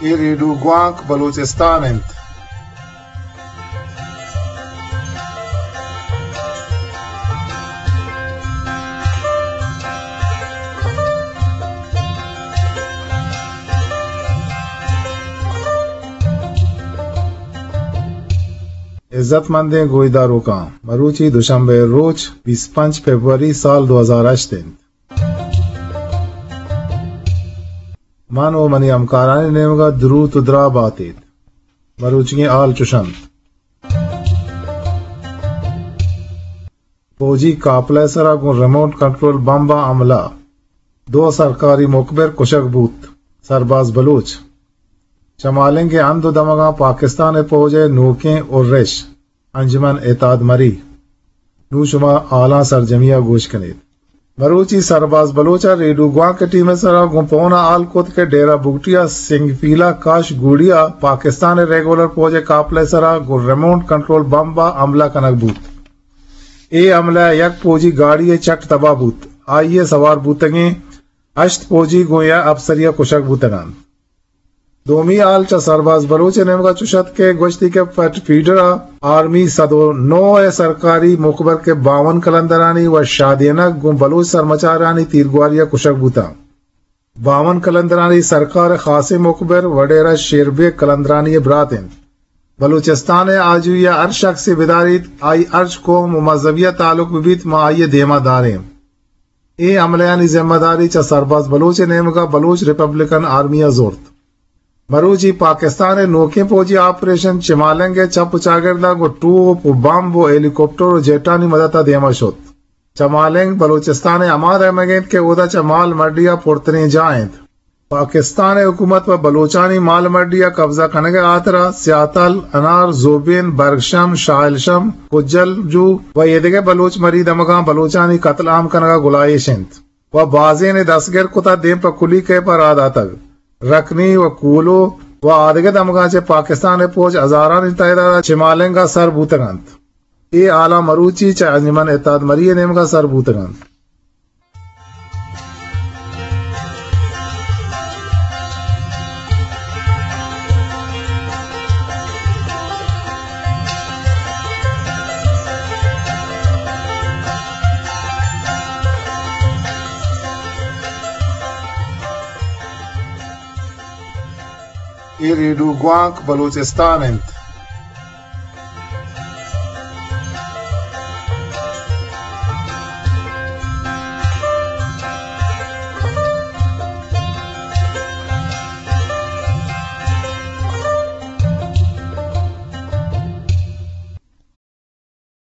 اے ریڈیو گوانک بلوچستان انت۔ عزت مندیں گوشداروکاں، مروچی دوشنبے روچ بیست پنچ فبروری سال دو ہزار ہشت انت۔ من و منی ہمکارانی نیمگا دروت و دراہ باتیت۔ مروچیگیں حال چوش انت۔ فوجی کاپلے سرا گوں ریموٹ کنٹرول بمبا حملہ، دو سرکاری مخبر کشگ بوت، سرباز بلوچ۔ چہ مالنگ ء ہند و دمگاں پاکستان ء پوج ء نوکیں ارش انجمن اتحاد مری۔ نوں شما حالاں سرجمی ء گوش کنیت۔ مروچی سرباز بلوچ ء ریڈیو گوانک ٹیم ء سرا گوں پون ء حال کت کہ ڈیرہ بگٹی ء سنگ پیلہ کاش گوڑی ء پاکستان ء ریگولر پوج ء کاپلے سرا گوں ریموٹ کنٹرول بمب ء حملہ کنگ بوت۔ اے حملہ ء یک پوجی گاڑی ء چٹ تباہ بوت۔ آئی ء سوار بوتگیں ہشت پوجی گوں یک اپسری ء کشگ بوتگ انت۔ دومی حال چہ سرباز بلوچ ء نیمگا چوش ات کہ گوشتی کہ پٹ فیڈر ء آرمی سد و نو ء سرکاری مخبر کہ باون قلندرانی و شادینک گوں بلوچ سرمچارانی تیرگواری ء کشگ بوتاں۔ باون قلندرانی سرکار ء خاصیں مخبر وڈیرہ شیربیگ قلندرانی ء برات انت۔ بلوچستان ء آجوئی ء ہر شخصے بداریت، آئی ہرچ قوم و مذہبی ء تعلق بہ بیت، ما آئی ء دیما داریں۔ اے حملہانی ذمہ داری چہ سرباز بلوچ ء نیمگا بلوچ ریپبلکن آرمی ء زرت۔ مروچی پاکستان ء نوکیں فوجی آپریشن چمالنگ ء چپ و چاگردا گوں ٹوپ و بمب و ہیلی کاپٹر و جیٹانی مدد ء دیما شت۔ چمالنگ بلوچستان ء ہما دمگ انت کہ اودا چہ مال مڈی ء پرتریں جاہ انت۔ پاکستان ء حکومت پہ بلوچانی مال مڈی ء قبضہ کنگ ء ہاترا سیاتل، انار، زوبین، برگشم، شاہلشم، کجل جو و ایدگہ بلوچ مری دمگاں بلوچانی قتل عام کنگ ء گلائیش انت و بازینے دستگر کتہ دیم پہ کلی کیپ ء راہ داتگ۔ رکنی و کولو و آدگہ دمگاں چہ پاکستان ء پوج ہزارانی تعداد ء چمالنگ ء سر بوتگ انت۔ اے حالاں مروچی چہ انجمن اتحاد مری ء نیمگا سر بوتگ انت۔ اے ریڈیو گوانک بلوچستان انت۔